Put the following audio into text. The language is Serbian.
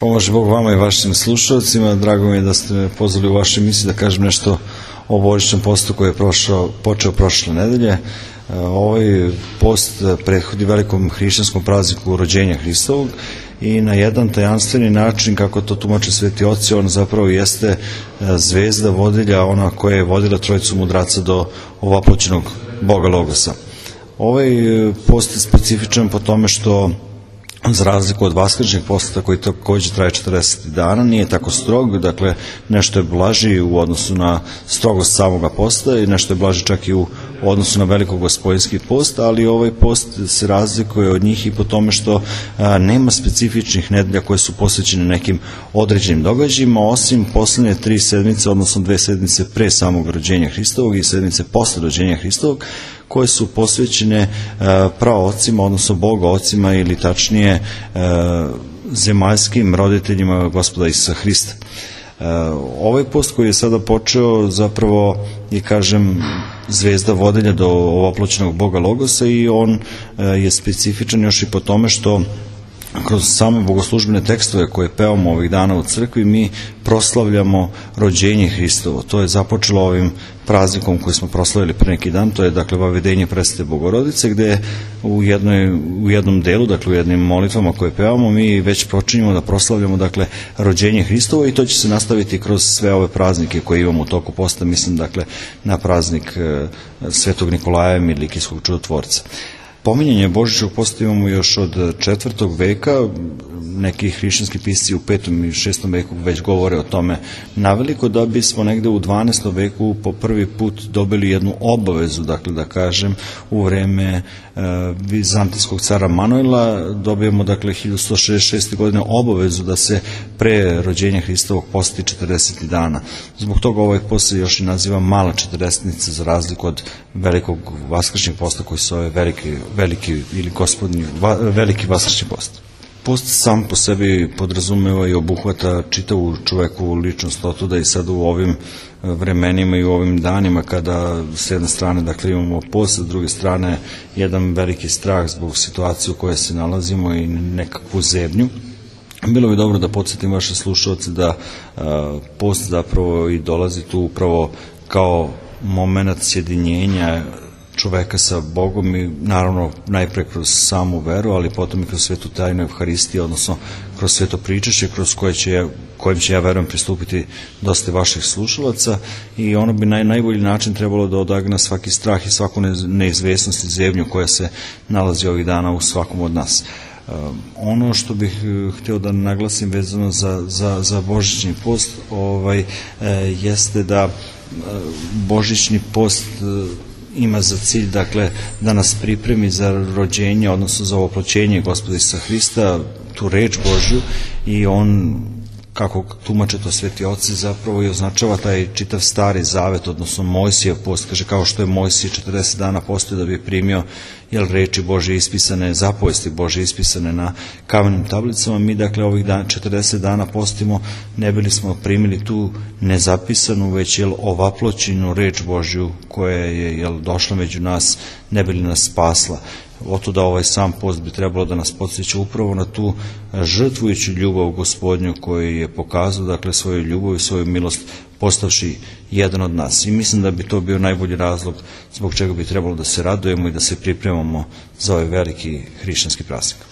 Pomože Bog vama i vašim slušalcima. Drago mi je da ste me pozvali u vašoj emisiji da kažem nešto o božićnom postu koji je počeo prošle nedelje. Ovaj post prethodi velikom hrišćanskom prazniku rođenja Hristovog i na jedan tajanstveni način, kako to tumače sveti oci, on zapravo jeste zvezda vodilja, ona koja je vodila trojicu mudraca do ovaploćenog Boga Logosa. Ovaj post je specifičan po tome što, za razliku od vaskršnjeg posta koji takođe traje 40 dana, nije tako strog, dakle nešto je blaži u odnosu na strogost samoga posta i nešto je blaži čak i u odnosu na velikogospojinski post, ali ovaj post se razlikuje od njih i po tome što nema specifičnih nedelja koje su posvećene nekim određenim događajima, osim poslednje 3 sedmice, odnosno 2 sedmice pre samog rođenja Hristovog i sedmice posle rođenja Hristovog, koje su posvećene praocima, odnosno bogaocima ili tačnije zemaljskim roditeljima Gospoda Isusa Hrista. Ovaj post koji je sada počeo zapravo je, kažem, zvezda vodilja do ovaploćenog Boga Logosa i on je specifičan još i po tome što kroz same bogoslužbene tekstove koje pevamo ovih dana u crkvi mi proslavljamo rođenje Hristovo. To je započelo ovim praznikom koji smo proslavili pre neki dan, to je dakle Vavedenje Presvete Bogorodice, gde u jednom delu, dakle u jednim molitvama koje pevamo, mi već počinjemo da proslavljamo dakle rođenje Hristovo i to će se nastaviti kroz sve ove praznike koje imamo u toku posta, mislim dakle na praznik Svetog Nikolaja Milikijskog čudotvorca. Pominjanje božićnog posta imamo još od 4. veka, neki hrišćanski pisci u 5. i 6. veku već govore o tome naveliko, da bismo negde u 12. veku po prvi put dobili jednu obavezu, dakle da kažem, u vreme vizantijskog cara Manuela dobijemo dakle 1166. godine obavezu da se pre rođenja Hristovog posti 40 dana. Zbog toga ovaj post se još i naziva mala četrdesetnica, za razliku od velikog vaskršnjeg posta koji se zove veliki ili gospodnji veliki vaskršnji post. Post sam po sebi podrazumeva i obuhvata čitavu čovekovu ličnost, otuda i sad u ovim vremenima i u ovim danima kada s jedne strane dakle imamo post, s druge strane jedan veliki strah zbog situacije u kojoj se nalazimo i nekakvu zebnju. Bilo bi dobro da podsjetim vaše slušalce da post zapravo i dolazi tu upravo kao moment sjedinjenja čoveka sa Bogom i naravno najpre kroz samu veru, ali potom i kroz svetu tajnu Evharistije, odnosno kroz sveto pričašće kroz kojem će ja verujem pristupiti dosta vaših slušalaca i ono bi najbolji način trebalo da odagna svaki strah i svaku neizvesnost i zebnju koja se nalazi ovih dana u svakom od nas. Ono što bih hteo da naglasim vezano za božićni post jeste da božićni post ima za cilj dakle da nas pripremi za rođenje, odnosno za ovaploćenje Gospoda Isusa Hrista, tu reč Božju, i on, kako tumače to sveti oci, zapravo i označava taj čitav stari zavet, odnosno Mojsijev post. Kaže, kao što je Mojsije 40 dana postio da bi primio reči Božje ispisane, zapovesti Božje ispisane na kamenim tablicama, mi dakle ovih 40 dana postimo ne bili smo primili tu nezapisanu, već ovaploćenu reč Božju koja je došla među nas, ne bili nas spasla. Otuda ovaj sam post bi trebalo da nas podsjeća upravo na tu žrtvujuću ljubav Gospodnju koju je pokazao, dakle svoju ljubav i svoju milost postavši jedan od nas. I mislim da bi to bio najbolji razlog zbog čega bi trebalo da se radujemo i da se pripremamo za ovaj veliki hrišćanski praznik.